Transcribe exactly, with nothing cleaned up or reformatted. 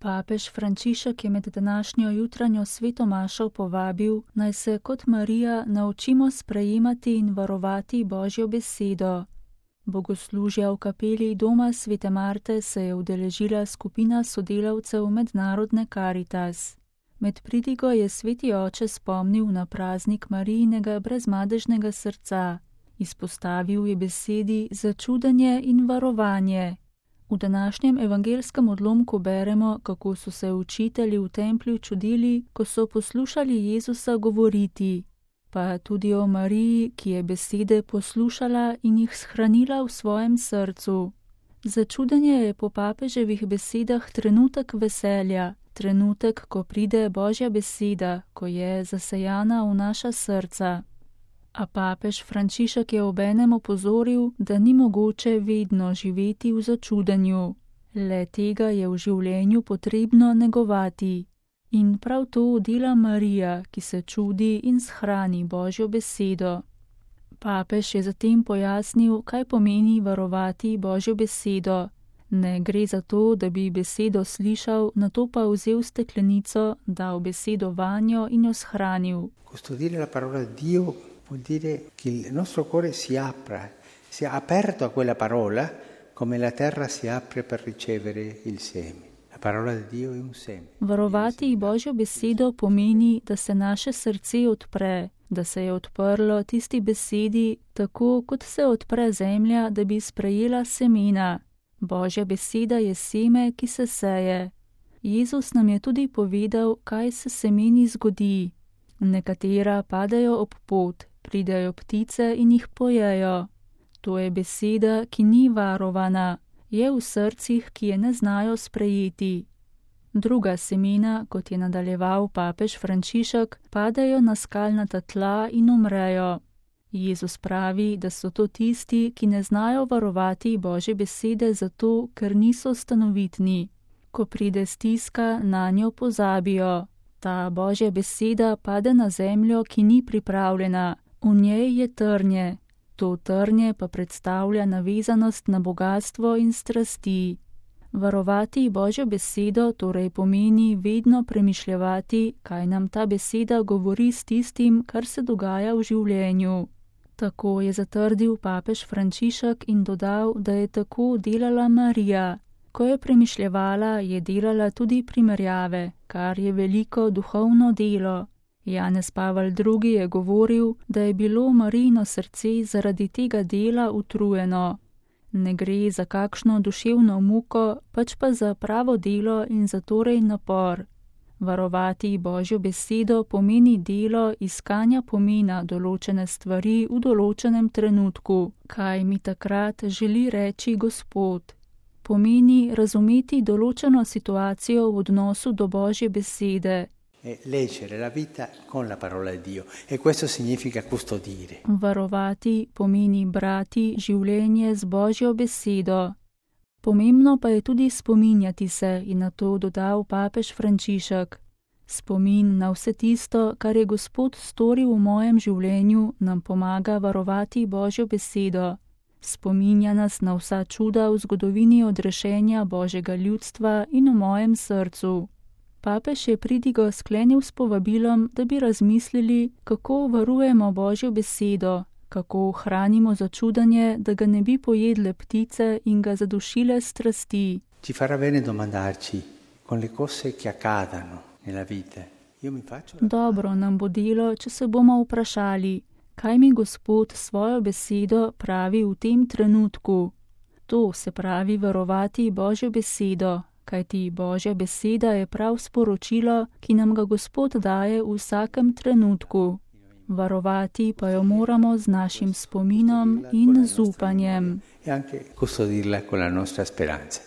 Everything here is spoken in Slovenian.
Papež Frančišek je med današnjo jutranjo svetomašo povabil, naj se kot Marija naučimo sprejemati in varovati Božjo besedo. Bogoslužja v kapeli doma svete Marte se je udeležila skupina sodelavcev Mednarodne Karitas. Med pridigo je sveti oče spomnil na praznik Marijinega brezmadežnega srca. Izpostavil je besedi začudenje in varovanje. V današnjem evangelskem odlomku beremo, kako so se učitelji v templju čudili, ko so poslušali Jezusa govoriti, pa tudi o Mariji, ki je besede poslušala in jih shranila v svojem srcu. Začudenje je po papeževih besedah trenutek veselja, trenutek, ko pride Božja beseda, ko je zasejana v naša srca. A papež Frančišek je obenem opozoril, da ni mogoče vedno živeti v začudenju. Le tega je v življenju potrebno negovati. In prav to dela Marija, ki se čudi in shrani Božjo besedo. Papež je zatem pojasnil, kaj pomeni varovati Božjo besedo. Ne gre za to, da bi besedo slišal, nato pa vzel steklenico, dal besedo vanjo in jo shranil. Custodire la parola di Dio vuol dire che il nostro cuore si apra, si è aperto a quella parola come la terra si apre per ricevere il seme. La parola di Dio è un seme. Varovati Božjo besedo pomeni, da se naše srce odpre, da se je odprlo tisti besedi, tako kot se odpre zemlja, da bi sprejela semena. Božja beseda je seme, ki se seje. Jezus nam je tudi povedal, kaj se semeni zgodi. Nekatera padejo ob pot, pridejo ptice in jih pojejo. To je beseda, ki ni varovana, je v srcih, ki je ne znajo sprejeti. Druga semena, kot je nadaljeval papež Frančišek, padejo na skalnata tla in umrejo. Jezus pravi, da so to tisti, ki ne znajo varovati Božje besede zato, ker niso stanovitni. Ko pride stiska, nanjo pozabijo. Ta Božja beseda pade na zemljo, ki ni pripravljena. V njej je trnje. To trnje pa predstavlja navezanost na bogastvo in strasti. Varovati Božjo besedo torej pomeni vedno premišljevati, kaj nam ta beseda govori s tistim, kar se dogaja v življenju. Tako je zatrdil papež Frančišek in dodal, da je tako delala Marija. Ko je premišljevala, je delala tudi primerjave, kar je veliko duhovno delo. Janez Pavel drugi je govoril, da je bilo Marijino srce zaradi tega dela utrujeno. Ne gre za kakšno duševno muko, pač pa za pravo delo in za torej napor. Varovati Božjo besedo pomeni delo iskanja pomena določene stvari v določenem trenutku, kaj mi takrat želi reči Gospod. Pomeni razumeti določeno situacijo v odnosu do Božje besede. Leggere la vita con la parola di Dio e questo significa custodire. Varovati pomeni brati življenje z Božjo besedo. Pomembno pa je tudi spominjati se in na to dodal papež Frančišek. Spomin na vse tisto, kar je Gospod storil v mojem življenju, nam pomaga varovati Božjo besedo. Spominja nas na vsa čuda v zgodovini odrešenja Božjega ljudstva in v mojem srcu. Papež je pridigo sklenil s povabilom, da bi razmislili, kako varujemo Božjo besedo, kako hranimo začudanje, da ga ne bi pojedle ptice in ga zadušile strasti. Ci farà bene domandarci con le cose che accadano nella vita. Io mi faccio la... Dobro nam bo delo, če se bomo vprašali, kaj mi Gospod svojo besedo pravi v tem trenutku. To se pravi varovati Božjo besedo, kajti Božja beseda je prav sporočilo, ki nam ga Gospod daje v vsakem trenutku. Varovati pa jo moramo z našim spominom in z upanjem. E anche custodirla con la nostra speranza.